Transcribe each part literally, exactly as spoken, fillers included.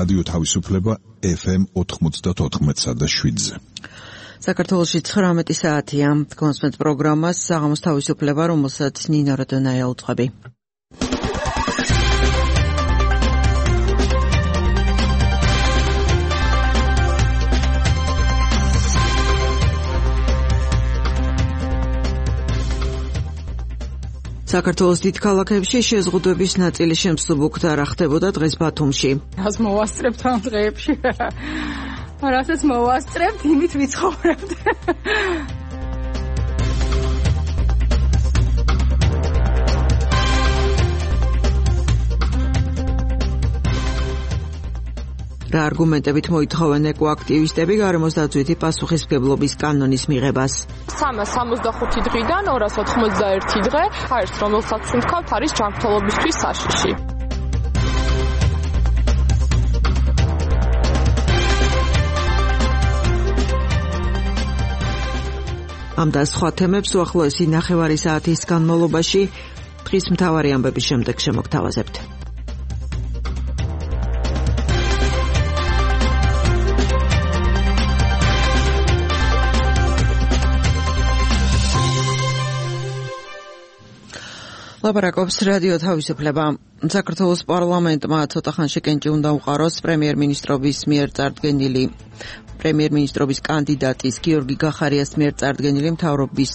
რადიო თავისუფლება ეფ ემ ოთხმოცდაოთხ და შვიდზე. საქართველოში ცხრამეტი საათია. კონსმეთ პროგრამას საღამოს თავისუფლება, რომელსაც ნინო როდონაია უძღვები. საქართველოს დიდ ქალაქებში შეზღუდვების ნაწილი შემსუბუქდა, რა ხდებოდა დღეს ბათუმში. რას მოვასწრებთ ამ დღეებში? რასაც მოვასწრებთ, იმით ვიცხოვრებთ. რა არგუმენტებით მოითხოვენ ეკოაქტივისტები გარემოს დაცვითი პასუხისმგებლობის კანონის მიღებას? სამას სამოცდახუთი დღიდან ორას ოთხმოცდაერთი დღე, არის რომელსაც ვთქვათ, არის ჯანმრთელობისთვის საშიში. ამ და სხვა თემებს უახლოესი ნახევარი საათის განმავლობაში დღის მთავარი ამბების შემდეგ შემოგთავაზებთ. ლაპარაკობს რადიო თავისუფლება. საქართველოს პარლამენტმა ცოტა ხანში კენჭი უნდა უყაროს პრემიერ-მინისტრობის მიერ წარდგენილი პრემიერ-მინისტრობის კანდიდატის გიორგი გახარიას მიერ წარდგენილი მთავრობის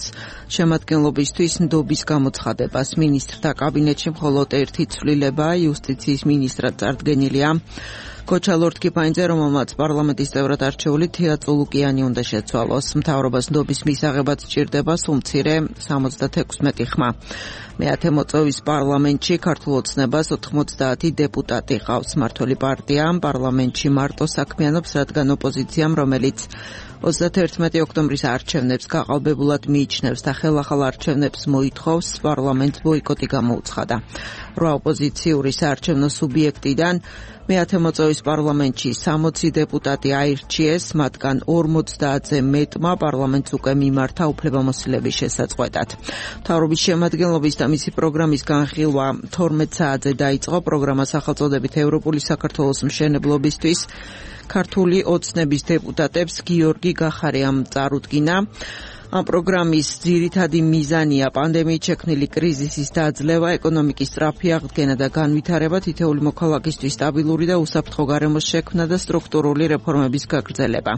შემადგენლობისთვის ნდობის გამოცხადებას. მინისტრთა კაბინეტში მხოლოდ ერთი ცვლილება იუსტიციის მინისტრად წარდგენილია. ქოჩა ლორდ-კიფაინძე, რომელმაც პარლამენტის წევრად არჩეული თეა წულუკიანი უნდა შეცვალოს. მთავრობას ნდობის მისაღებად სჭირდება სულ მცირე სამოცდათექვსმეტი ხმა. მეათე მოწვევის პარლამენტში ქართულ ოცნებას ოთხმოცდაათი დეპუტატი ყავს. მმართველი პარტია პარლამენტში მარტო საქმიანობს, რადგან ოპოზიციამ, რომელიც ოცდათერთმეტი ოქტომბრის არჩევნებს გაყალბებულად მიიჩნევს და ხელახალ არჩევნებს მოითხოვს, პარლამენტს ბოიკოტი გამოუცხადა. რვა ოპოზიციური საარჩევნო სუბიექტიდან მეათე მოწვევის პარლამენტში სამოცი დეპუტატი აირჩიეს, მათგან ორმოცდაათზე მეტმა პარლამენტს უკვე მიმართა უფლებამოსილების შესაწყვეტად. მთავრობის შემადგენლობის და მისი პროგრამის განხილვა თორმეტ საათზე დაიწყო. პროგრამა სახელწოდებით ევროპული საქართველოს მშენებლობისთვის ქართული ოცნების დეპუტატებს გიორგი გახარიამ წარუდგინა. ამ პროგრამის ძირითადი მიზანია პანდემიით შექმნილი კრიზისის დაძლევა, ეკონომიკის სწრაფი აღდგენა და განვითარება, თითოეული მოქალაქისთვის სტაბილური და უსაფრთხო გარემოს შექმნა და სტრუქტურული რეფორმების გაგრძელება.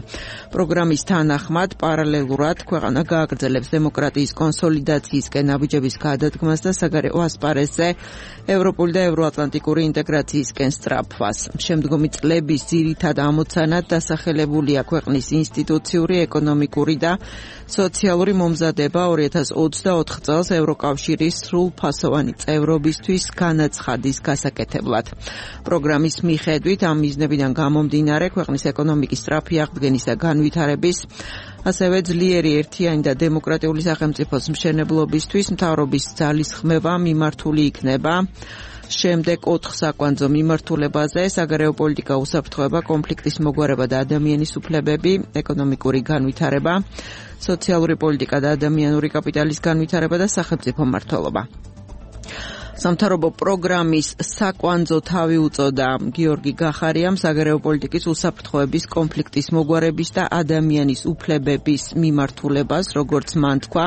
პროგრამის თანახმად პარალელურად ქვეყანა გააგრძელებს დემოკრატიის კონსოლიდაციისკენ ნაბიჯების გადადგმას და საგარეო ასპარეზზე ევროპული და ევროატლანტიკური ინტეგრაციისკენ სწრაფვას. შემდგომი წლების ძირითად ამოცანად დასახელებულია ქვეყნის ინსტიტუციური, ეკონომიკური და სოციალური მომზადება ორი ათას ოცდაოთხ წელს ევროკავშირის სრულფასოვანი წევრობისთვის განაცხადის გასაკეთებლად. პროგრამის მიხედვით ამ მიზნებიდან გამომდინარე ქვეყნის ეკონომიკის სწრაფი აღდგენის და განვითარების, ასევე ძლიერი ერთიანი და დემოკრატიული სახელმწიფოს მშენებლობისთვის მთავრობის ძალისხმევა მიმართული იქნება შემდეგ ოთხ საკვანძო მიმართულებაზე: საგარეო პოლიტიკა, უსაფრთხოება, კონფლიქტის მოგვარება და ადამიანის უფლებები, ეკონომიკური განვითარება, სოციალური პოლიტიკა და ადამიანური კაპიტალის განვითარება და სახელმწიფო მმართველობა. სამთავრობო პროგრამის საკვანძო თავი უწოდა გიორგი გახარიამ საგარეო პოლიტიკის, უსაფრთხოების, კონფლიქტის მოგვარების და ადამიანის უფლებების მიმართულებას, როგორც მან თქვა,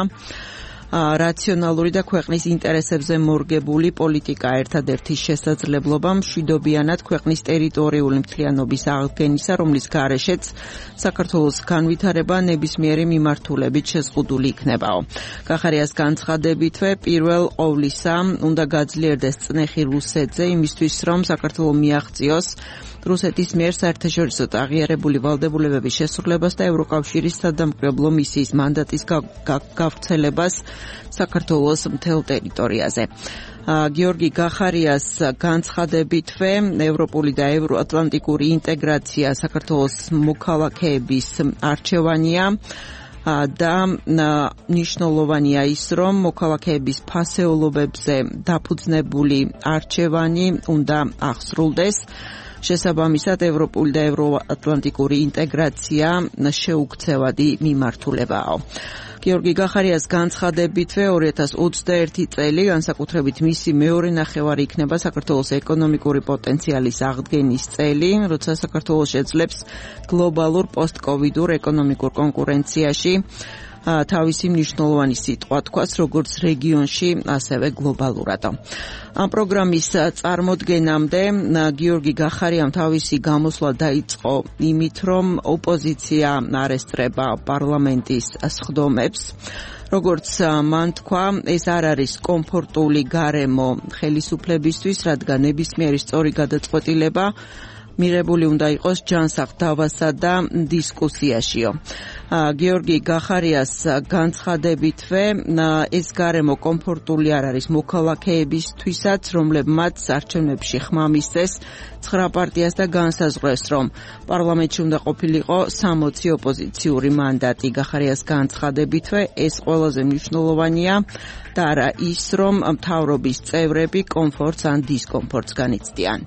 რაციონალური და ქვეყნის ინტერესებზე მორგებული პოლიტიკა ერთადერთი შესაძლებლობა მშვიდობიანად ქვეყნის ტერიტორიული მთლიანობის აღდგენისა, რომლის გარეშეც საქართველოს განვითარება ნებისმიერი მიმართულებით შეზღუდული იქნებაო. გახარიას განცხადებითვე პირველ ყოვლისა უნდა გაძლიერდეს წნეხი რუსეთზე იმისთვის, რომ საქართველო მიაღწიოს რუსეთის მიერ საერთაშორისო აღიარებული ვალდებულებების შესრულებას და ევროკავშირის სადამკვირვებლო მისიის მანდატის გავრცელებას საქართველოს მთელ ტერიტორიაზე. გიორგი გახარიას განცხადებითვე ევროპული და ევროატლანტიკური ინტეგრაცია საქართველოს მოქალაქეების არჩევანია და ნიშნულოვანია ის, რომ მოქალაქეების ფასეულობებზე დაფუძნებული არჩევანი უნდა აღსრულდეს. შესაბამისად, ევროპული და ევროატლანტიკური ინტეგრაცია შეუქცევადი მიმართულებაა. გიორგი გახარიას განცხადებითვე ორი ათას ოცდაერთი წელი, განსაკუთრებით მისი მეორე ნახევარი იქნება საქართველოს ეკონომიკური პოტენციალის აღდგენის წელი, როცა საქართველოს შეძლებს გლობალურ პოსტკოვიდურ ეკონომიკურ კონკურენციაში თავისი მნიშვნელოვანი სიტყვა თქვას როგორც რეგიონში, ასევე გლობალურად. ამ პროგრამის წარმოდგენამდე გიორგი გახარიამ თავისი გამოსვლა დაიწყო იმით, რომ ოპოზიცია არ ესწრება პარლამენტის სხდომებს. როგორც მან თქვა, ეს არ არის კომფორტული გარემო ხელისუფლებისთვის, რადგან ნებისმიერი სწორი გადაწყვეტილება მიღებული უნდა იყოს ჯანსაღ დავასა და დისკუსიაშიო. გიორგი გახარიას განცხადებითვე ეს გარემო კომფორტული არ არის მოქალაქეებისთვისაც, რომლებმაც არჩევნებში ხმა მისცეს ცხრა პარტიას და განსაზღვრეს, რომ პარლამენტში უნდა ყოფილიყო სამოცი ოპოზიციური მანდატი. გახარიას განცხადებითვე ეს ყველაზე მნიშვნელოვანია და არა ის, რომ მთავრობის წევრები კომფორტს ან დისკომფორტს განიცდიან.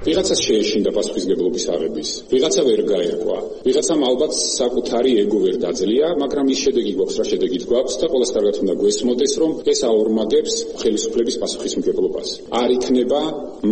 ვიღაცას შეეშინდა პასუხისმგებლობის აღების, ვიღაცა ვერ გაერკვა, ვიღაცამ ალბათ საკუთარი ეგო ვერ დაძლია, მაგრამ ის შედეგი გვაქვს, რა შედეგით გვაქვს და ყველას კარგად უნდა გვესმოდეს, რომ ეს აორმაგებს ხელისუფლების პასუხისმგებლობას. არ იქნება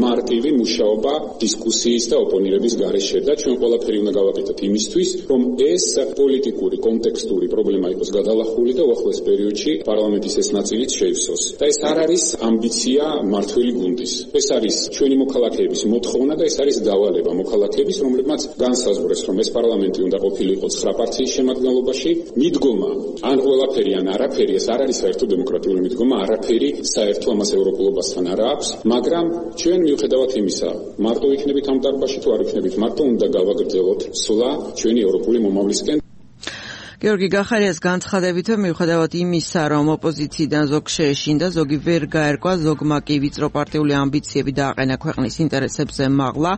მარტივი მუშაობა დისკუსიის და ოპონირების გარეშე და ჩვენ ყველაფერი უნდა გავაკეთოთ იმისთვის, რომ ეს პოლიტიკური, კონტექსტური პრობლემა იყოს გადალახული და უახლოეს პერიოდში პარლამენტის ეს ნაწილიც შეივსოს. და ეს არ არის ამბიცია მართველი გუნდის. ეს არის ჩვენი მოქალაქეების მოთხოვნა და ეს არის დავალება მოქალაქეების, რომლებმაც განსაზღვრეს, რომ ეს პარლამენტი უნდა ყოფილიყო ცხრა პარტიის შემადგენლობაში. მიდგომა ან ყველაფერი ან არაფერი, ეს არ არის საერთო დემოკრატიული მიდგომა, არაფერი საერთო ამას ევროპულობასთან არ აქვს, მაგრამ ჩვენ მიუხედავად იმისა, მარტო იქნებით ამ დარბაზში თუ არ იქნებით, მარტო უნდა გავაგრძელოთ სვლა ჩვენი ევროპული მომავლისკენ. გიორგი გახარიას განცხადებითვე მიუხედავად იმისა, რომ ოპოზიციიდან ზოგი შეეშინდა, ზოგი ვერ გაერკვა, ზოგმა კი ვიწრო პარტიული ამბიციები დააყენა ქვეყნის ინტერესებზე მაღლა,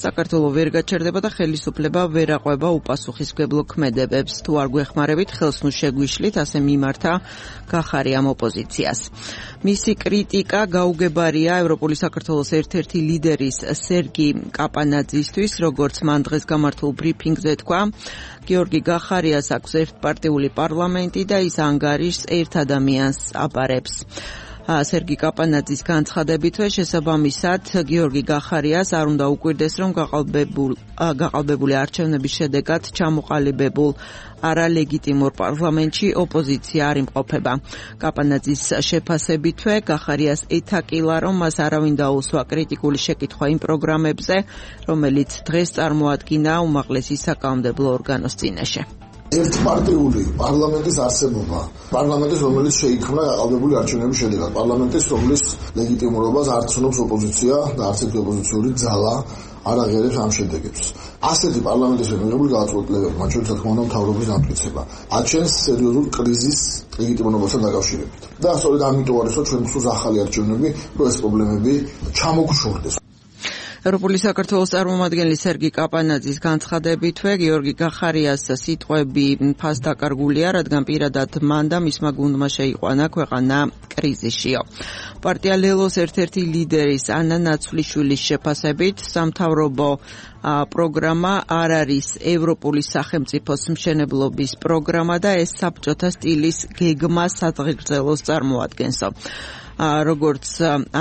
საქართველო ვერ გაჩერდება და ხელისუფლება ვერ აყვება უპასუხისმგებლო ქმედებებს. თუ არ გვეხმარებით, ხელს ნუ შეგვიშლით, ასე მიმართა გახარიამ ოპოზიციას. მისი კრიტიკა გაუგებარია ევროპული საქართველოს ერთ-ერთი ლიდერის სერგი კაპანაძისთვის, როგორც მან დღეს გამართულ ბრიფინგზე თქვა. გიორგი გახარიას აქვს ერთპარტიული პარლამენტი და ის ანგარიშს ერთ ადამიანს აბარებს. სერგი კაპანაძის განცხადებითვე შესაბამისად გიორგი გახარიას არ უნდა უკვირდეს, რომ გაყალბებულ გაყალბებული არჩევნების შედეგად ჩამოყალიბებულ არალეგიტიმურ პარლამენტში ოპოზიცია არ იმყოფება. კაპანაძის შეფასებითვე გახარიას ეთაკილა, რომ მას არავინ დაუსვა კრიტიკული შეკითხვა იმ პროგრამებზე, რომელიც დღეს წარმოადგინა უმაღლესი საკანონმდებლო ორგანოს წინაშე. ერთპარტიული პარლამენტის არსებობა, პარლამენტის, რომელიც შეიქმნა გაყალბებული არჩევნების შედეგად, პარლამენტის, რომლის ლეგიტიმურობას არ ცნობს ოპოზიცია და არც ერთი ოპოზიციური ძალა არ აღიარებს ამ შედეგებს. ასეთი პარლამენტის მიღებული გადაწყვეტილებები, მათ შორის, რა თქმა უნდა, მთავრობის დამტკიცება, აჩენს სერიოზულ კრიზისს ლეგიტიმურობასთან დაკავშირებით. და სწორედ ამიტომ არის, რომ ჩვენ გვსურს ახალი არჩევნები, რომ ეს პრობლემები ჩამოგშორდეს. ევროპული საქართველოს წარმომადგენელი სერგი კაპანაძის განცხადებითვე გიორგი გახარიას სიტყვები ფასდაკარგულია, რადგან პირადად მან და მისმა გუნდმა შეიყვანა ქვეყანა კრიზისშიო. პარტია ლელოს ერთ-ერთი ლიდერის ანა ნაცვლიშვილის შეფასებით სამთავრობო პროგრამა არ არის ევროპული სახელმწიფოს მშენებლობის პროგრამა და ეს საბჭოთა სტილის გეგმა სადღეგრძელოს წარმოადგენსო. როგორც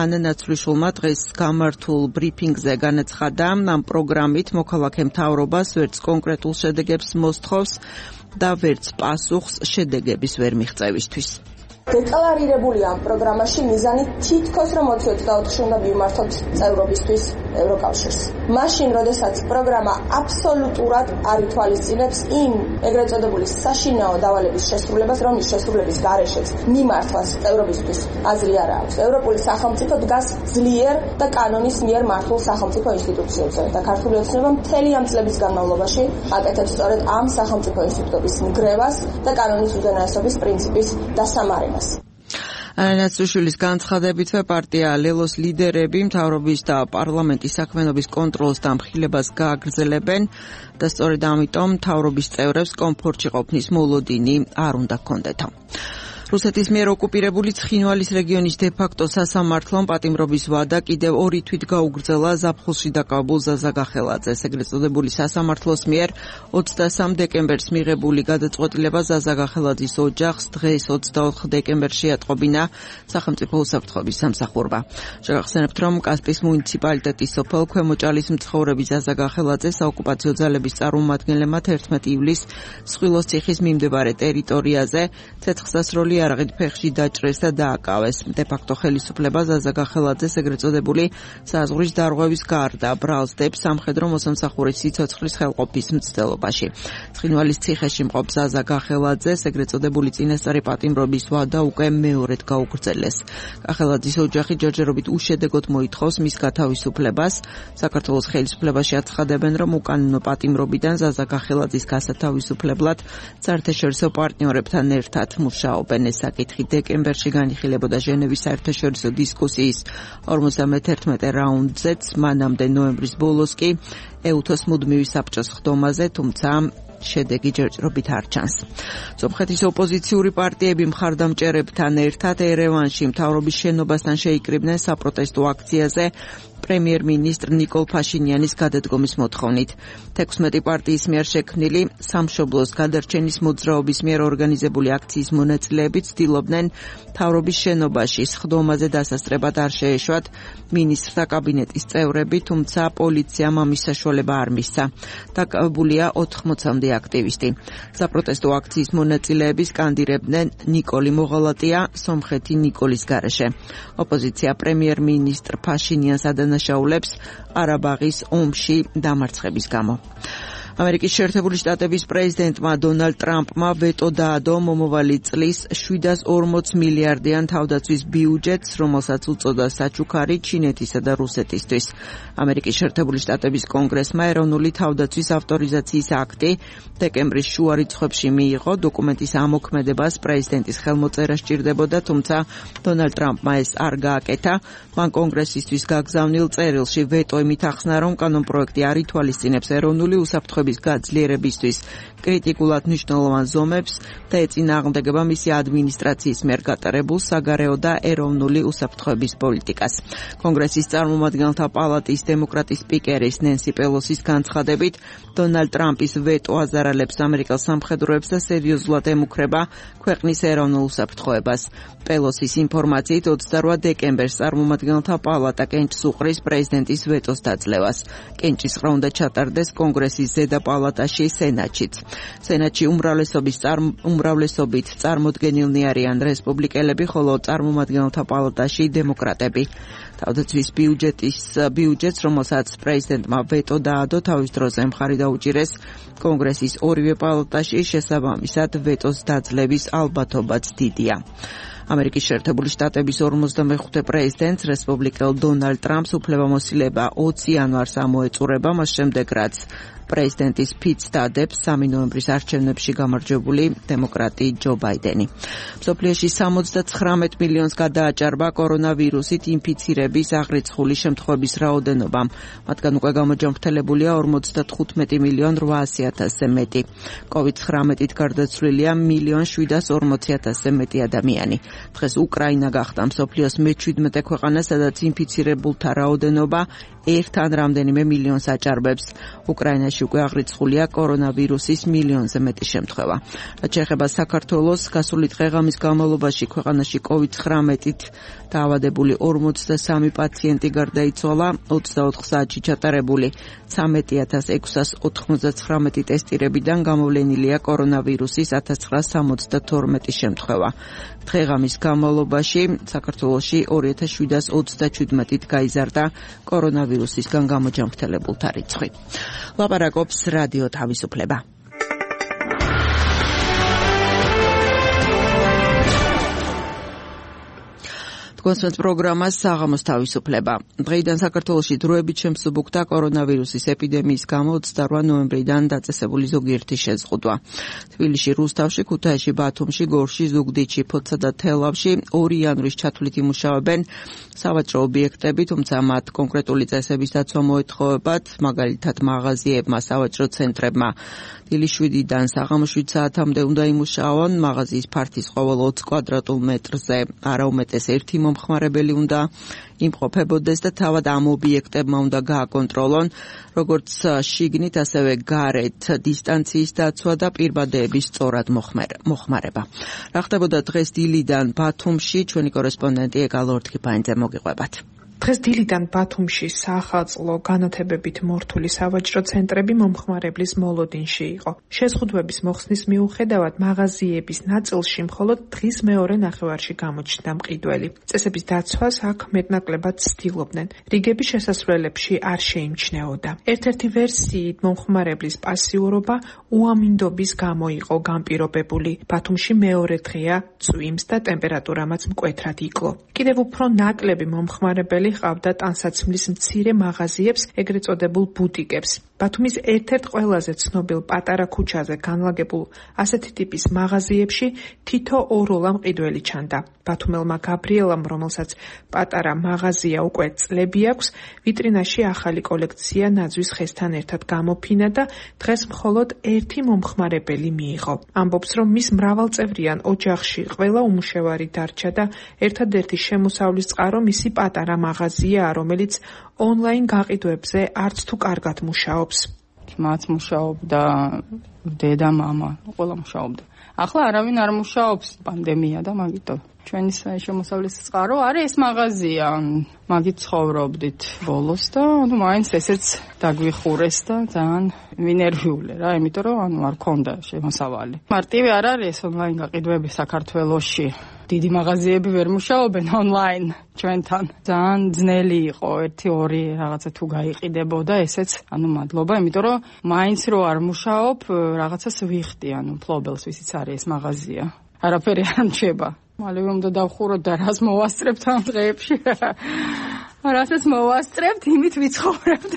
ანა ნაცვლიშვილმა დღეს გამართულ ბრიფინგზე განაცხადა, ამ პროგრამით მოქალაქე მთავრობას ვერც კონკრეტულ შედეგებს მოსთხოვს და ვერც პასუხს შედეგების ვერ მიღწევისთვის. დეკლარირებული ამ პროგრამაში მიზანი თითქოს რომ ოცი ოცდაოთხში უნდა მივმართოთ წევრობისთვის ევროკავშირს. მაშინ, როდესაც პროგრამა აბსოლუტურად არ ითვალისწინებს იმ ეგრეთ წოდებული საშინაო დავალების შესრულებას, რომლის შესრულების გარეშეც მიმართვას წევრობისთვის აზრი არ აქვს. ევროპული სახელმწიფო დგას ძლიერ და კანონის მიერ მართულ სახელმწიფო ინსტიტუციებზე და ქართული ოცნება მთელი ამ წლების განმავლობაში აკეთებს სწორედ ამ სახელმწიფო ინსტიტუტების ნგრევას და კანონის უზენაესობის პრინციპის დასამარენას. ანა ნაცვლიშვილის განცხადებითვე პარტია ლელოს ლიდერები მთავრობის და პარლამენტის საქმიანობის კონტროლს და მხილებას გააგრძელებენ და სწორედ ამიტომ მთავრობის წევრებს კომფორტში ყოფნის მოლოდინი არ უნდა ჰქონდეთო. რუსეთის მიერ ოკუპირებული ცხინვალის რეგიონის დე-ფაქტო სასამართლომ პატიმრობის ვადა კიდევ ორი თვით გაუგრძელა ზაფხულში დაკავებულ ზაზა გახელაძეს. ეგრეთ წოდებული სასამართლოს მიერ ოცდასამ დეკემბერს მიღებული გადაწყვეტილება ზაზა გახელაძის ოჯახს დღეს ოცდაოთხ დეკემბერში ატყობინა სახელმწიფო უსაფრთხოების სამსახურმა. შეგახსენებთ, რომ კასპიის მუნიციპალიტეტის სოფელ ქვემოჭალის მცხოვრები ზაზა გახელაძე საოკუპაციო ძალების წარმომადგენლებმა თერთმეტი ივლისს სხვილოს ციხის მიმდებარე ტერიტორიაზე ცეცხლსასროლი არაღით ფეხში დაჭრეს და დააკავეს. დე-ფაქტო ხელისუფლება ზაზა გახელაძეს ეგრეთ წოდებული საზღვრის დარღვევის გარდა ბრალსდებს სამხედრო მოსამსახურის სიცოცხლის ხელყოფის მცდელობაში. ცხინვალის ციხეში მყოფ ზაზა გახელაძეს ეგრეთ წოდებული წინასწარი პატიმრობის ვადა უკვე მეორედ გაუგრძელეს. გახელაძის ოჯახი ჯერჯერობით უშედეგოდ მოითხოვს მის გათავისუფლებას. საქართველოს ხელისუფლებაში აცხადებენ, რომ უკანონო პატიმრობიდან ზაზა გახელაძის გასათავისუფლებლად საერთაშორისო პარტნიორებთან ერთად მუშაობენ. ეს საკითხი დეკემბერში განიხილებოდა ჟენევის საერთაშორისო დისკუსიის ორმოცდამეთერთმეტე რაუნდზეც, მანამდე ნოემბრის ბოლოს კი ეუთოს მუდმივი საბჭოს ხდომაზე, თუმცა შედეგი ჯერჯერობით არ ჩანს. სომხეთის ოპოზიციური პარტიები მხარდამჭერებთან ერთად ერევანში მთავრობის შენობასთან შეიკრიბნენ საპროტესტო აქციაზე პრემიერ-მინისტრ ნიკოლ ფაშინიანის გადადგომის მოთხოვნით. თექვსმეტი პარტიის მიერ შექმნილი სამშობლოს გადარჩენის მოძრაობის მიერ ორგანიზებული აქციის მონაწილეები ცდილობდნენ მთავრობის შენობაში სხდომაზე დასასწრებად არ შეეშვათ მინისტრთა კაბინეტის წევრები, თუმცა პოლიციამ ამის საშუალება არ მისცა. დაკავებულია ოთხმოცამდე აქტივისტი. საპროტესტო აქციის მონაწილეები სკანდირებდნენ ნიკოლი მოღალატია, სომხეთი ნიკოლის გარეშე. ოპოზიცია პრემიერ-მინისტრ ფაშინიანს ადანაშაულებს ყარაბაღის ომში დამარცხების გამო. ამერიკის შეერთებული შტატების პრეზიდენტმა დონალდ ტრამპმა ვეტო დაადო მომავალი წლის შვიდას ორმოც მილიარდიან თავდაცვის ბიუჯეტს, რომელსაც უწოდა საჩუქარი ჩინეთისა და რუსეთისთვის. ამერიკის შეერთებული შტატების კონგრესმა ეროვნული თავდაცვის ავტორიზაციის აქტი დეკემბრის შუა რიცხვებში მიიღო. დოკუმენტის ამოქმედებას პრეზიდენტის ხელმოწერა სჭირდებოდა, თუმცა დონალდ ტრამპმა ეს არ გააკეთა. მან კონგრესისთვის გაგზავნილ წერილში ვეტო იმით ახსნა, რომ კანონპროექტი არ ითვალისწინებს ეროვნული უსაფრთხოების გაძლიერებისთვის კრიტიკულად მნიშვნელოვან ზომებს და ეწინააღმდეგება მისი ადმინისტრაციის მიერ გატარებულ საგარეო და ეროვნული უსაფრთხოების პოლიტიკას. კონგრესის წარმომადგენელთა პალატის დემოკრატის სპიკერის ნენსი პელოსის განცხადებით, დონალდ ტრამპის ვეტო აზარალებს ამერიკელ სამხედროებს და სერიოზულად ემუქრება ქვეყნის ეროვნულ უსაფრთხოებას. პელოსის ინფორმაციით ოცდარვა დეკემბერს წარმომადგენელთა პალატა კენჭს უყრის პრეზიდენტის ვეტოს დაძლევას. კენჭის ყრა უნდა ჩატარდეს კონგრესის ზედა პალატაში, სენატშიც. სენატში უმრავლესობის უმრავლესობით წარმოდგენილნი არიან რესპუბლიკელები, ხოლო წარმომადგენელთა პალატაში დემოკრატები. თავდაცვის ბიუჯეტის ბიუჯეტს, რომელსაც პრეზიდენტმა ვეტო დაადო, თავის დროზე მხარი დაუჭირეს კონგრესის ორივე პალატაში, შესაბამისად ვეტოს დაძლევის ალბათობაც დიდია. ამერიკის შეერთებული შტატების ორმოცდამეხუთე პრეზიდენტს რესპუბლიკელ დონალდ ტრამპს უფლებამოსილება ოცი იანვარს ამოეწურება, მას შემდეგ რაც პრეზიდენტის ფიცს დადებს სამი ნოემბრის არჩევნებში გამარჯვებული დემოკრატი ჯო ბაიდენი. მსოფლიოში სამოცდაცხრამეტ მილიონს გადააჭარბა კორონავირუსით ინფიცირების აღრიცხული შემთხვევების რაოდენობა. მათგან უკვე გამოჯანმრთელებულია ორმოცდათხუთმეტი მილიონ რვაასი ათასზე მეტი. კოვიდ ცხრამეტით გარდაცვლილია მილიონ შვიდას ორმოცი ათასზე მეტი ადამიანი. დღეს უკრაინა გახდა მსოფლიოს მეჩვიდმეტე ქვეყანა, სადაც ინფიცირებულთა რაოდენობა ერთ ან რამდენიმე მილიონს აჭარბებს. უკრაინაში უკვე აღრიცხულია კორონავირუსის მილიონზე მეტი შემთხვევა. რაც შეეხება საქართველოს, გასული დღე-ღამის განმავლობაში ქვეყანაში კოვიდ ცხრამეტით დაავადებული ორმოცდასამი პაციენტი გარდაიცვალა. ოცდაოთხ საათში ჩატარებული ცხრამეტი ათას ექვსას ოთხმოცდაცხრამეტი ტესტირებიდან გამოვლენილია კორონავირუსის ათას ცხრაას სამოცდათორმეტი შემთხვევა. დღე-ღამის განმავლობაში საქართველოში ორი ათას შვიდას ოცდაჩვიდმეტით გაიზარდა კორონავირუსისგან გამოჯანმრთელებულთა რიცხვი. ლაპარაკობს რადიო თავისუფლება. თქვენს პროგრამას საღამოს თავისუფლება. დღეიდან საქართველოში დროებით შემსუბუქდა კორონავირუსის ეპიდემიის გამო ოცდაორი ნოემბრიდან დაწესებული ზოგიერთი შეზღუდვა. თბილისში, რუსთავში, ქუთაისში, ბათუმში, გორში, ზუგდიდში, ფოთსა და თელავში ორი იანვრის ჩათვლით იმუშავებენ სავაჭრო ობიექტები, თუმცა მათ კონკრეტული წესების დაცვა მოეთხოვებათ, მაგალითად მაღაზიებმა, სავაჭრო ცენტრებმა. დილის შვიდიდან საღამოს შვიდ საათამდე უნდა იმუშაონ, მაღაზიის ფართის ყოველ ოცი კვადრატულ მეტრზე არა უმეტეს ერთი მომხმარებელი უნდა იმყოფებოდეს და თავად ამ ობიექტებმა უნდა გააკონტროლონ, როგორც შიგნით, ასევე გარეთ დისტანციის დაცვა და პირბადეების სწორად მოხმარება. რა ხდებოდა დღეს დილიდან ბათუმში, ჩვენი კორესპონდენტი ეგალო ორთქიფანიძე მოგიყვებათ. დღეს დილიდან ბათუმში საახალწლო განათებებით მორთული სავაჭრო ცენტრები მომხმარებლის მოლოდინში იყო. შეზღუდვების მოხსნის მიუხედავად მაღაზიების ნაწილში მხოლოდ დღის მეორე ნახევარში გამოჩნდა მყიდველი. წესების დაცვას აქ მეტნაკლებად ცდილობდნენ. რიგები შესასვლელებში არ შეიმჩნეოდა. ერთ-ერთი ვერსიით მომხმარებლის პასიურობა უამინდობის გამო იყო განპირობებული. ბათუმში მეორე დღეა წვიმს და ტემპერატურამაც მკვეთრად იკლო. კიდევ უფრო ნაკლები მომხმარებელი ყავდა ტანსაცმლის მცირე მაღაზიებს, ეგრეთ წოდებულ ბუტიკებს. ბათუმის ერთ-ერთ ყველაზე ცნობილ პატარა ქუჩაზე განლაგებულ ასეთი ტიპის მაღაზიებში თითო ოროლა მყიდველი ჩანდა. ბათუმელმა გაბრიელამ, რომელსაც პატარა მაღაზია უკვე წლები აქვს, ვიტრინაში ახალი კოლექცია ნაძვის ხესთან ერთად გამოფინა და დღეს მხოლოდ ერთი მომხმარებელი მიიღო. ამბობს, რომ მის მრავალწევრიან ოჯახში ყველა უმუშევარი დარჩა და ერთადერთი შემოსავლის წყარო მისი პატარა მაღაზია, რომელიც ონლაინ გაყიდვებზე არც თუ კარგად მუშაობს. მათ მუშაობდა დედა, მამა, ყველა მუშაობდა. ახლა არავინ არ მუშაობს, პანდემია და მაგიტომ. ჩვენი შემოსავლის წყარო არის ეს მაღაზია. მაგით ცხოვრობდით ბოლოს და ანუ მაინც ესეც დაგვიხურეს და ძალიან ვინერვიულე რა, იმიტომ რომ ანუ არ ქონდა შემოსავალი. მარტივი არ არის ონლაინ გაყიდვები საქართველოში. დიდი მაღაზიები ვერ მუშაობენ ონლაინ ჩვენთან. ძალიან ძნელი იყო ერთი ორი რაღაცა თუ გაიყიდებოდა, ესეც ანუ მადლობა, იმიტომ რომ მაინც რო არ მუშაობ, რაღაცას ვიხდი, ანუ ფლობელს ვისიც არის ეს მაღაზია. არაფერი არ მჩება. მალე უნდა დავხუროთ და რას მოვასწრებთ ამ დღეებში. რასაც მოვასწრებთ, იმით ვიცხოვრებთ.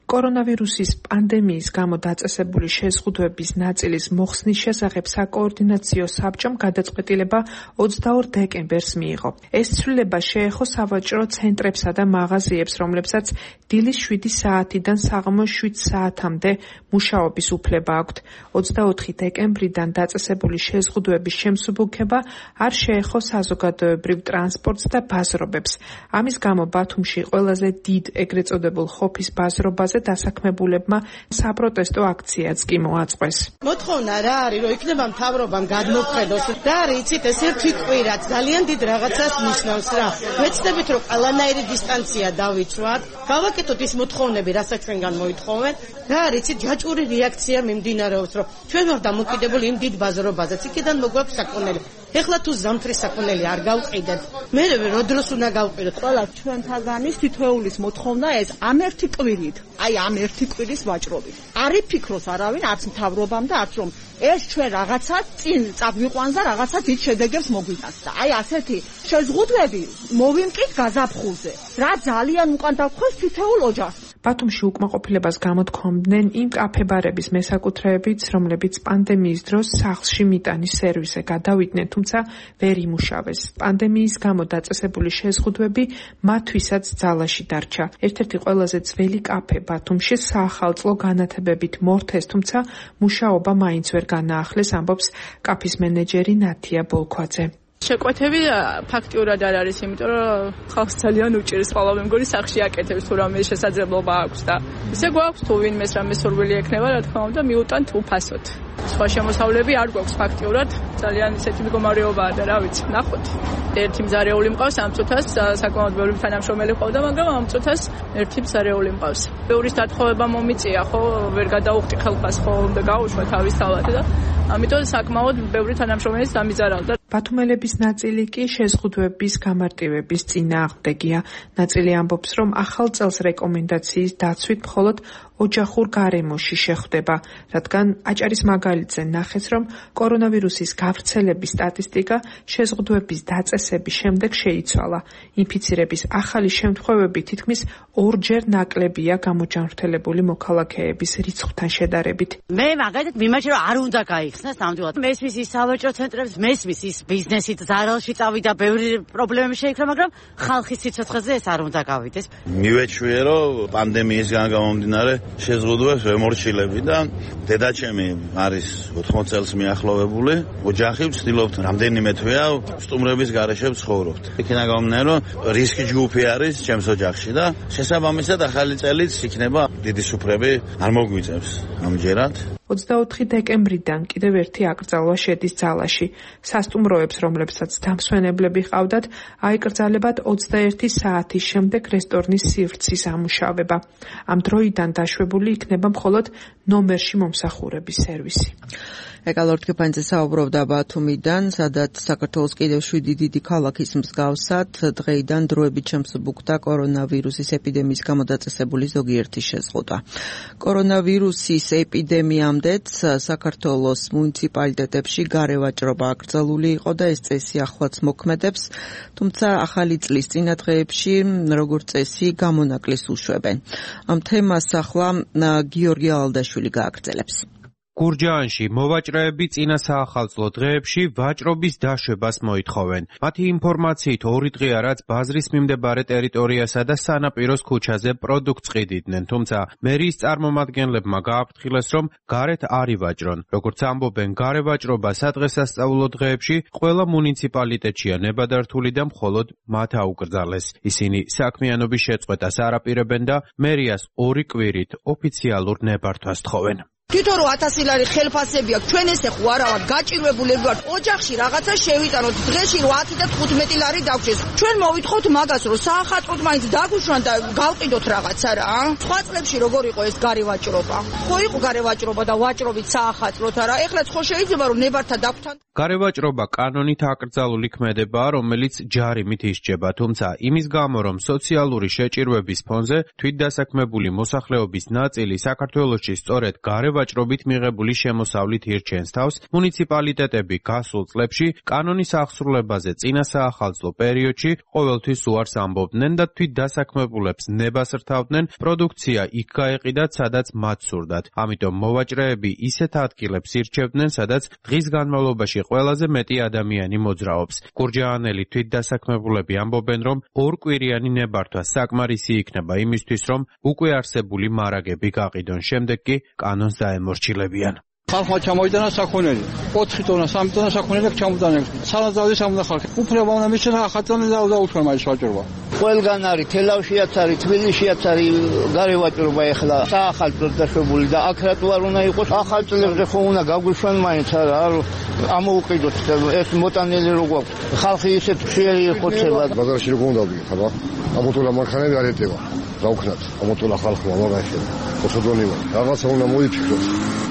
კორონავირუსის პანდემიის გამო დაწესებული შეზღუდვების ნაწილის მოხსნის შესახებ საკოორდინაციო საბჭომ გადაწყვეტილება ოცდაორ დეკემბერს მიიღო. ეს ცვლილება შეეხო სავაჭრო ცენტრებსა და მაღაზიებს, რომლებსაც დილის შვიდი საათიდან საღამოს შვიდ საათამდე მუშაობის უფლება აქვთ. ოცდაოთხი დეკემბრიდან დაწესებული შეზღუდვების შემსუბუქება არ შეეხო საზოგადოებრივ ტრანსპორტს და ბაზრობებს. ამის გამო ბათუმში ყველაზე დიდ ეგრეთ წოდებულ ხოფის ბაზრობაზე დასაქმებულებმა საპროტესტო აქციაც კი მოაწყვეს. მოთხოვნა რა არის, რომ იქნება მთავრობამ გადმოხედოს და იცით ეს ერთი კვირაც ძალიან დიდ რაღაცას ნიშნავს რა. მეცდებით რომ ყველანაირი დისტანცია დავიცვათ, გავაკეთოთ ის მოთხოვნები, რასაც ჩვენგან მოითხოვენ და იცით ჯაჭვური რეაქცია მიმდინარეობს, რომ ჩვენ ვარ დამოკიდებული იმ დიდ ბაზრობაზე, იქიდან მოგვაქვს საკონელი. ეხლა თუ ზამთრის საკონელი არ გავყიდეთ, მე რო დროს უნდა გავყიდოთ. ყველა ჩვენთაგანის თითოეულის მოთხოვნა ეს ამ ერთი კვირით, აი ამ ერთი კვირის ვაჭრობით. არ იფიქროს არავინ, არც მთავრობამ და არც რომ ეს ჩვენ რაღაცა წინ წაგვიყვანს და რაღაცა დიდ შედეგებს მოგვიტანს და აი ასეთი შეზღუდვები მოვიმკით გაზაფხულზე. რა ძალიან უკან დავხვევს თითოეულ ოჯახს. ბათუმში უკმაყოფილებას გამოთქვამდნენ იმ კაფე-ბარების მესაკუთრეებიც, რომლებიც პანდემიის დროს სახლში მიტანის სერვისზე გადავიდნენ, თუმცა ვერ იმუშავეს. პანდემიის გამო დაწესებული შეზღუდვები მათთვისაც ძალაში დარჩა. ერთ-ერთი ყველაზე ძველი კაფე ბათუმში საახალწლო განათებებით მორთეს, თუმცა მუშაობა მაინც ვერ განაახლეს, ამბობს კაფის მენეჯერი ნათია ბოლქვაძე. შეკვეთები ფაქტიურად არ არის, იმიტომ რომ ხალხს ძალიან უჭირს, ხოლმე მე მგონი სახში აკეთებს თუ რამე შესაძლებლობა აქვს და ისე გვაქვს თუ ვინმეს რამე სურვილი ექნება, რა თქმა უნდა, მიუტანთ უფასოდ. სხვა შემოსავლები არ გვაქვს ფაქტიურად, ძალიან ისეთი მდგომარეობაა და რა ვიცი, ნახოთ. ერთი მზარეული მყავს ამ წუთას, საკმაოდ ბევრი თანამშრომელი ყავდა, მაგრამ ამ წუთას ერთი მზარეული მყავს. ბევრის დათხოვება მომიწია, ხო, ვერ გადაუხდი ხელფას, ხო, უნდა გაუშვა თავის თავად და ამიტომ საკმაოდ ბევრი თანამშრომელი დამიზარავდა. ბათუმელების ნაწილი კი შეზღუდვების გამარტივების წინააღმდეგია. ნაწილი ამბობს, რომ ახალ წელს რეკომენდაციის დაცვით მხოლოდ ოჯახურ გარემოში შეხვდება, რადგან აჭარის მაგალითზე ნახეს, რომ კორონავირუსის გავრცელების სტატისტიკა შეზღუდვების დაწესების შემდეგ შეიცვალა. ინფიცირების ახალი შემთხვევები თითქმის ორჯერ ნაკლებია გამოჯანმრთელებული მოქალაქეების რიცხვთან შედარებით. მე მაგალითად მიმაჩნია, რომ არ უნდა გაიხსნას ნამდვილად. მესმის ის სავაჭრო ცენტრებს, მესმის ის ბიზნესით ზარალში წავიდა, ბევრი პრობლემები შეიქრა, მაგრამ ხალხის სიცოცხლეზე ეს არ უნდა გავიდეს. მივეჩვიე, რომ პანდემიისგან გამომდინარე შეზღუდვებს ვემორჩილები და დედაჩემი არის ოთხმოცი წელს მიახლოვებული. ოჯახი ვცდილობთ რამდენიმე თვეა სტუმრების გარეშე ვცხოვრობთ. იქნა გამომდინარე, რომ რისკი ჯგუფი არის ჩემს ოჯახში და შესაბამისად ახალი წელიც იქნება დიდი სუფრები არ მოგვიწევს ამჯერად. ოცდაოთხი დეკემბრიდან კიდევ ერთი აკრძალვა შედის ძალაში. სასტუმროებს, რომლებსაც დამსვენებლები ჰყავდათ, აიკრძალებათ ოცდაერთი საათის შემდეგ რესტორნის სივრცის ამუშავება. ამ დროიდან დაშვებული იქნება მხოლოდ ნომერში მომსახურების სერვისი. ეკალორთქეფანიძე საუბრობდა ბათუმიდან, სადაც საქართველოს კიდევ შვიდი დიდი ქალაქის მსგავსად დღეიდან დროებით შემსუბუქდა კორონავირუსის ეპიდემიის გამო დაწესებული ზოგიერთი შეზღუდვა. კორონავირუსის ეპიდემიამდეც საქართველოს მუნიციპალიტეტებში გარევაჭრობა აკრძალული იყო და ეს წესი ახლაც მოქმედებს, თუმცა ახალი წლის წინა დღეებში როგორც წესი გამონაკლის უშვებენ. ამ თემას ახლა გიორგი ალდაშვილი გააგრძელებს. გურჯაანში მოვაჭრეები წინა საახალწლო დღეებში ვაჭრობის დაშვებას მოითხოვენ. მათი ინფორმაციით ორი დღეა რაც ბაზრის მიმდებარე ტერიტორიასა და სანაპიროს ქუჩაზე პროდუქტს ყიდიდნენ, თუმცა მერიის წარმომადგენლებმა გააფრთხილეს, რომ გარეთ არ ივაჭრონ. როგორც ამბობენ, გარევაჭრობა სადღესასწაულო დღეებში ყველა მუნიციპალიტეტშია ნებადართული და მხოლოდ მათ აუკრძალეს. ისინი საქმიანობის შეწყვეტას არ აპირებენ და მერიას ორი კვირით ოფიციალურ ნებართვას თხოვენ. თვითონ რომ ათასი ლარი ხელფასები აქვს, ჩვენ ესე ხო არა ვართ გაჭირვებულები ვართ. ოჯახში რაღაცა შევიტანოთ, დღეში ათი და თხუთმეტი ლარი დავჭეს. ჩვენ მოვითხოვთ მაგას, რომ საახალწლოდ მაინც დაგვიშვან და გავყიდოთ რაღაცა რა. სხვა წლებში როგორ იყო ეს გარევაჭრობა? ხო იყო გარევაჭრობა და ვაჭრობით საახალწლოდ არა. ეხლაც ხო შეიძლება რომ ნებართა დაგვთან. გარევაჭრობა კანონით აკრძალული ქმედებაა, რომელიც ჯარიმით ისჯება, თუმცა იმის გამო, რომ სოციალური შეჭირვების ფონზე თვითდასაქმებული მოსახლეობის ნაწილი საქართველოში სწორედ გარევაჭრობით მიღებული შემოსავლით ირჩენს თავს, მუნიციპალიტეტები გასულ წლებში კანონის აღსრულებაზე წინა საახალწლო პერიოდში ყოველთვის უარს ამბობდნენ და თვითდასაქმებულებს ნებას რთავდნენ პროდუქცია იქ გაეყიდათ, სადაც მათ სურდათ. ამიტომ მოვაჭრეები ისეთ ადგილებს ირჩევდნენ, სადაც დღის განმავლობაში ყველაზე მეტი ადამიანი მოძრაობს. გურჯაანელი თვითდასაქმებულები ამბობენ, რომ ორკვირიანი ნებართვა საკმარისი იქნება იმისთვის, რომ უკვე არსებული მარაგები გაყიდონ, შემდეგ კი კანონს დაემორჩილებიან. ხალხმა ჩამოიტანა საქონელი. ოთხი ტონა, სამი ტონა საქონელი ჩამოდანენ. სალაზავდის ამდა ხალხი. უფლება უნდა მისცენ ახალწლად დაუშვან მაგის ვაჭრობა. ყველგან არის, თელავშიაც არის, თბილისშიაც არის გარევაჭრობა ეხლა საახალწლოდ დაშვებული და აქ რატო არ უნდა იყოს? ახალწლებზე ხო უნდა გაგვიშვან მაინც არა, ამოუყიდოთ ეს მოტანილი რო გვაქვს. ხალხი ისეთ ხიერი ხოცება. ბაზარში როგორ უნდა ვიყავ? ამოთულა მანქანები არ ეტევა. დავქნათ, ამოთულა ხალხმა მაგაში. ოთხდონივა. რაღაცა უნდა მოიფიქროთ.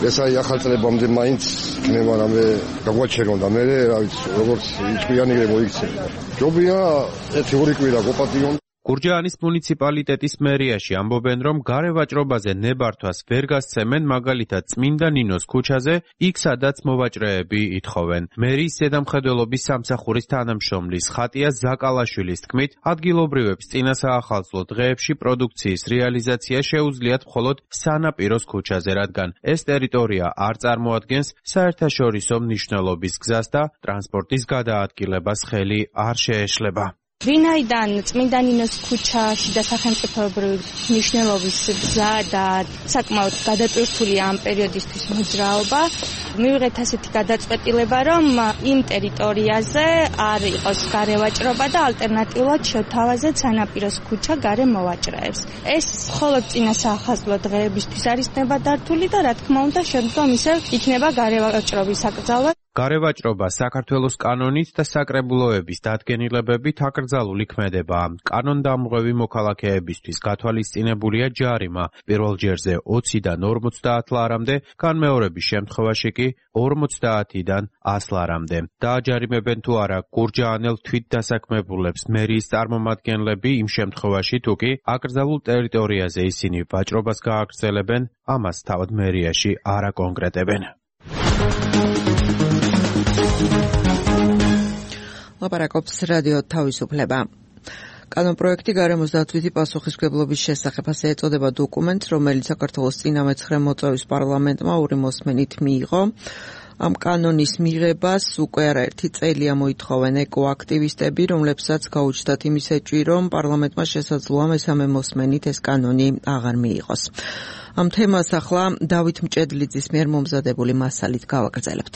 ეს აი ახალწლებამდე მაინც იქნება რამე გაგვაჩერონ და მე რა ვიცი, როგორც იჭვიანი მოიქცევა. ჯობია ერთი ორი კვირა გოპატიონ. გურჯაანის მუნიციპალიტეტის მერიაში ამბობენ, რომ გარევაჭრობაზე ნებართვას ვერ გასცემენ, მაგალითად წმინდა ნინოს ქუჩაზე, იქ სადაც მოვაჭრეები ითხოვენ. მერიის ზედამხედველობის სამსახურის თანამშრომლის ხატია ზაკალაშვილის თქმით, ადგილობრივებს წინა საახალწლო დღეებში პროდუქციის რეალიზაცია შეუძლიათ მხოლოდ სანაპიროს ქუჩაზე, რადგან ეს ტერიტორია არ წარმოადგენს საერთაშორისო მნიშვნელობის გზას და ტრანსპორტის გადაადგილებას ხელი არ შეეშლება. ვინაიდან წმინდა ნინოს ქუჩაში და სახელმწიფოებრივი მნიშვნელობის გზა და საკმაოდ გადაწყვეტილია ამ პერიოდისთვის მოძრაობა, მივიღეთ ასეთი გადაწყვეტილება, რომ იმ ტერიტორიაზე არ იყოს გარევაჭრობა და ალტერნატიულად შევთავაზეთ სანაპიროს ქუჩა გარე მოვაჭრეებს. ეს მხოლოდ წინა საახალწლო დღეებისთვის არის ნებადართული და რა თქმა უნდა შემდგომ ისევ იქნება გარევაჭრობის აკრძალვა. გარევაჭრობა საქართველოს კანონით და საკრებულოების დადგენილებებით აკრძალული ქმედებაა. კანონდამღვევი მოქალაქეებისთვის გათვალისწინებულია ჯარიმა პირველ ჯერზე ოციდან ორმოცდაათ ლარამდე, განმეორების შემთხვევაში კი ორმოცდაათიდან ას ლარამდე. დააჯარიმებენ თუ არა გურჯაანელ თვითდასაქმებულებს მერიის წარმომადგენლები იმ შემთხვევაში თუ კი აკრძალულ ტერიტორიაზე ისინი ვაჭრობას გააგრძელებენ, ამას თავად მერიაში არ აკონკრეტებენ. ლაპარაკობს რადიო თავისუფლება. კანონპროექტი გარემოს დაცვითი პასუხისმგებლობის შესახებ, ასე ეწოდება დოკუმენტს, რომელიც საქართველოს წინა მეცხრე მოწვევის პარლამენტმა ორი მოსმენით მიიღო. ამ კანონის მიღებას უკვე არაერთი წელია მოითხოვენ ეკოაქტივისტები, რომლებსაც გაუჩნდათ იმის ეჭვი, რომ პარლამენტმა შესაძლოა მესამე მოსმენით ეს კანონი აღარ მიიღოს. ამ თემას ახლა დავით მჭედლიძის მიერ მომზადებული მასალით გავაგრძელებთ.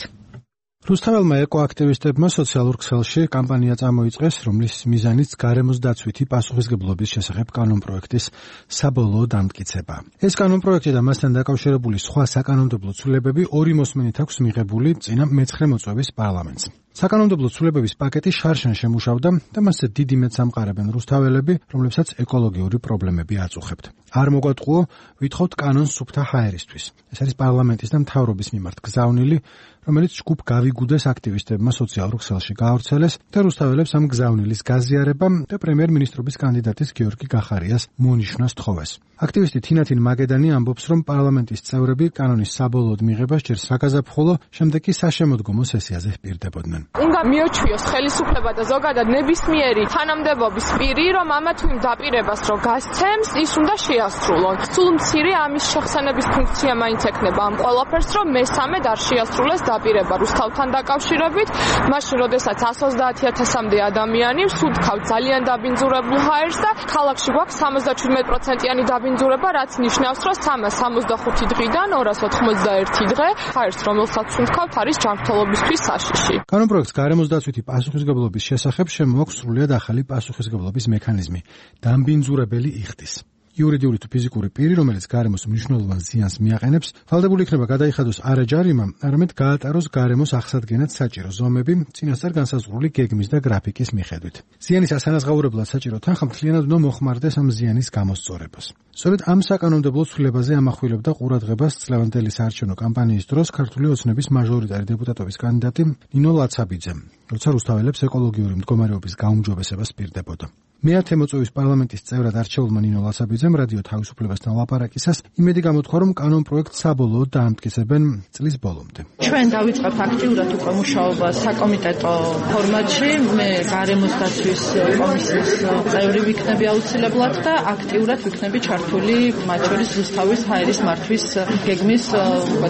რუსთაველმა ეკოაქტივისტებმა სოციალურ ქსელში კამპანია წამოიწყეს, რომლის მიზანიც გარემოს დაცვითი პასუხისმგებლობის შესახებ კანონპროექტის საბოლოო დამტკიცება. ეს კანონპროექტი და მასთან დაკავშირებული სხვა საკანონმდებლო ცვლილებები ორი მოსმენით აქვს მიღებული წინა მეცხრე მოწვევის პარლამენტს. საკანონმდებლო ცვლილებების პაკეტი შარშან შემუშავდა და მასზე დიდი მეტს ამყარებენ რუსთაველები, რომლებსაც ეკოლოგიური პრობლემები აწუხებთ. არ მოგვატყუო, ვითხოვთ კანონს სუფთა ჰაერისთვის. ეს არის პარლამენტის და მთავრობის მიმართ გზავნილი, რომელიც ჯგუფ გავიგუდეს აქტივისტებმა სოციალურ ქსელში გაავრცელეს და რუსთაველებს ამ გზავნილის გაზიარება და პრემიერ-მინისტრობის კანდიდატის გიორგი გახარიას მონიშნას თხოვეს. აქტივისტი თინათინ მაგედანი ამბობს, რომ პარლამენტის წევრები კანონის საბოლოოდ მიღებას ჯერ საგაზაფხულო, შემდეგ კი საშემოდგომო სესიაზე ჰპირდებოდნენ. უნდა მიოჩვიოს ხელისუფლება და ზოგადად ნებისმიერი თანამდებობის პირი, რომ ამა თუ იმ დაპირებას რო გასცემს, ის უნდა შეასრულონ. სულ მცირე ამის შეხსენების ფუნქცია მაინც ექნება ამ ყველაფერს, რომ მესამედ არ შეასრულეს დაპირება რუსთავთან დაკავშირებით, მაშინ როდესაც ას ოცდაათი ათასამდე ადამიანი სუდქავთ ძალიან დაბინძურებულ ჰაერს და ქალაქში გვაქვს სამოცდაჩვიდმეტ პროცენტიანი დაბინძურება, რაც ნიშნავს, რომ სამას სამოცდახუთი დღიდან ორას ოთხმოცდაერთი დღე ჰაერს, რომელსაც სუნთქავთ, არის ჯანმრთელობისთვის საშიში. კანონპროექტს გარემოს დაცვითი პასუხისმგებლობის შესახებ შემოაქვს სრულიად ახალი პასუხისმგებლობის მექანიზმი დაბინძურებელი იხდის. იურიდიული თუ ფიზიკური პირი, რომელიც გარემოს მნიშვნელოვან ზიანს მიაყენებს, ვალდებული იქნება გადაიხადოს არა ჯარიმა, არამედ გაატაროს გარემოს აღსადგენად საჭირო ზომები, წინასწარ განსაზღვრული გეგმის და გრაფიკის მიხედვით. ზიანის ასანაზღაურებლად საჭირო თანხა მთლიანად უნდა მოხმარდეს ამ ზიანის გამოსწორებას. სწორედ ამ საკანონმდებლო ცვლილებაზე ამახვილებდა ყურადღებას წლევანდელი საარჩევნო კამპანიის დროს ქართული ოცნების მაჟორიტარი დეპუტატობის კანდიდატი ნინო ლაცაბიძე, როცა რუსთაველებს ეკოლოგიური მდგომარეობის გაუმჯობესებას პირდებოდა. მეათე მოწვევის პარლამენტის წევრად არჩეულმა ნინო ლაცაბიძემ რადიო თავისუფლებასთან ლაპარაკისას იმედი გამოთქვა, რომ კანონპროექტს საბოლოოდ დაამტკიცებენ წლის ბოლომდე. ჩვენ დავიწყებთ აქტიურად უკვე მუშაობა საკომიტეტო ფორმატში, მე გარემოს დაცვის კომისიის წევრი ვიქნები აუცილებლად და აქტიურად ვიქნები ჩართული მათ შორის რუსთავის ჰაერის მართვის გეგმის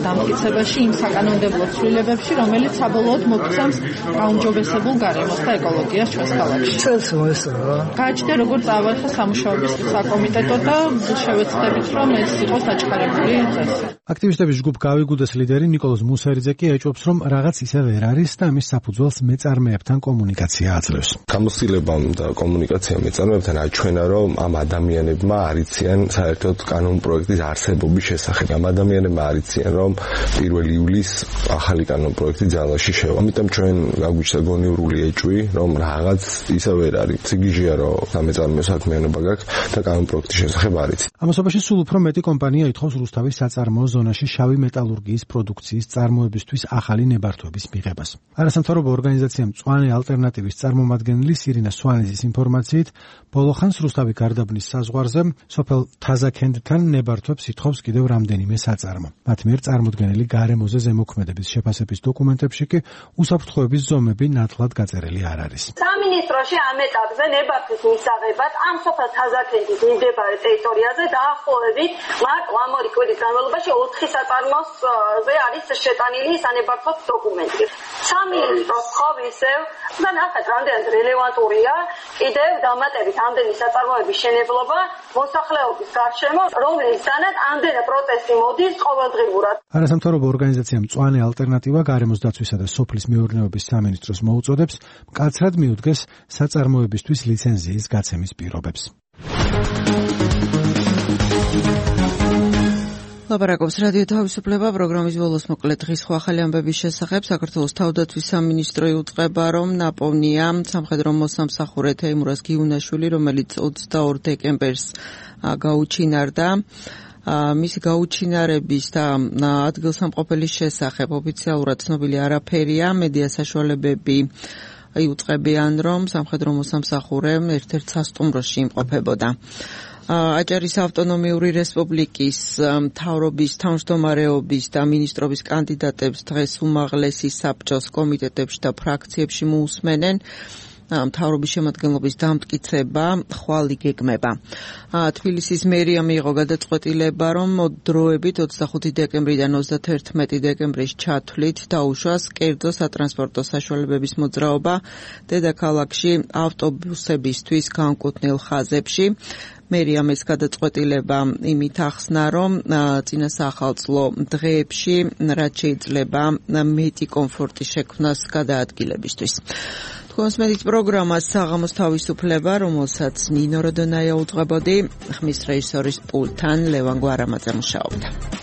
დამტკიცებაში იმ საკანონმდებლო ცვლილებებში, რომელიც საბოლოოდ მოგცემს გაუმჯობესებულ გარემოს და ეკოლოგიას ჩვენს ქალაქში. ჩვენს მოესწრო გააჩნია როგორც ავარხა სამუშაოების საკომიტეტო და შევეცდებით, რომ ეს იყოს დაჩქარებული წესი. აქტივისტების ჯგუფ გავიგუდეს ლიდერი ნიკოლოზ მუსერიძე კი ეჭვობს, რომ რაღაც ისე ვერ არის და ამის საფუძველს მეწარმეებთან კომუნიკაცია აძლევს. გამოცდილებამ და კომუნიკაციამ მეწარმეებთან აჩვენა, რომ ამ ადამიანებმა არიციან საერთოდ კანონპროექტის არსებობის შესახებ. ამ ადამიანებმა არიციან, რომ პირველი ივლისს ახალი კანონპროექტი ძალაში შევა. ამიტომ ჩვენ გაგვიჩნდა გონივრული ეჭვი, რომ რაღაც ისე ვერ არის. სიგიჟეა, რომ სამეწარმეო საქმიანობა გაქვს და კანონპროექტის შესახებ არ იცით. ამასობაში სულ უფრო მეტი კომპანია ითხოვს რუსთავის საწარმოო ზონაში შავი მეტალურგიის პროდუქციის წარმოებისთვის ახალი ნებართვების მიღებას. არასამთავრობო ორგანიზაცია მწვანე ალტერნატივის წარმომადგენელი სირინა სვანიძის ინფორმაციით, ბოლოხანს რუსთავი გარდაბნის საზღვარზე სოფელ თაზაქენდთან ნებართვებს ითხოვს კიდევ რამდენიმე საწარმო. მათ მიერ წარმოდგენილი გარემოზე ზემოქმედების შეფასების დოკუმენტებში კი უსაფრთხოების ზომები ნათლად გაწერილი არ არის. სამინისტროში ამ ეტაპზე ნებართვის მისაღებად ამ სოფელ თაზაქენდის მიმდებარე ტერიტორიაზე დაახლოებით მარტო ამ ორი კვირის განმავლობაში ოთხი საწარმოზე არის შეტანილი სანებართვო დოკუმენტი. სამინისტროს ხოვისევ და ნახეთ რამდენად რელევანტურია კიდევ დამატებით ამდენი საწარმოების შენებლობა მოსახლეობის გარშემო, რომლისთანაც ამდენი პროტესტი მოდის ყოველდღიურად. არასამთავრობო ორგანიზაცია მწვანე ალტერნატივა გარემოს დაცვისა და სოფლის მეურნეობის სამინისტროს მოუწოდებს მკაცრად მიუდგეს საწარმოებისთვის ლიცენზიის გაცემის პირობებს. ლაპარაკობს რადიო თავისუფლება პროგრამის ბოლოს მოკლედ დღის სხვა ახალი ამბების შესახებ. საქართველოს თავდაცვის სამინისტრო იუწყება, რომ ნაპოვნია სამხედრო მოსამსახურე თეიმურაზ გიუნაშვილი, რომელიც ოცდაორ დეკემბერს გაუჩინარდა. მისი გაუჩინარების და ადგილსამყოფელის შესახებ ოფიციალურად ცნობილი არაფერია. მედია საშუალებები იუწყებიან, რომ სამხედრო მოსამსახურე ერთ-ერთ სასტუმროში იმყოფებოდა. აჭარის ავტონომიური რესპუბლიკის მთავრობის თავმჯდომარეობის და მინისტრობის კანდიდატებს დღეს უმაღლესი საბჭოს კომიტეტებში და ფრაქციებში მოусმენენ. მთავრობის შემადგენლობის დამტკიცება ხვალ იგეგმება. თბილისის მერია მიიღო გადაწყვეტილება, რომ დროებით ოცდახუთი დეკემბრიდან ოცდათერთმეტი დეკემბრის ჩათვლით დაუშვას კერძო სატრანსპორტო საშუალებების მოძრაობა დედაქალაქში ავტობუსებისთვის განკუთვნილ ხაზებში. მერიამ ეს გადაწყვეტილება იმით ახსნა, რომ წინა საახალწლო დღეებში რაც შეიძლება მეტი კომფორტი შექმნას გადაადგილებისთვის. თქვენს მედით პროგრამას საღამოს თავისუფლება, რომელსაც ნინო როდონაია უძღვებოდი, ხმის რეჟისორის პულტთან ლევან გვარამაძე მუშაობდა.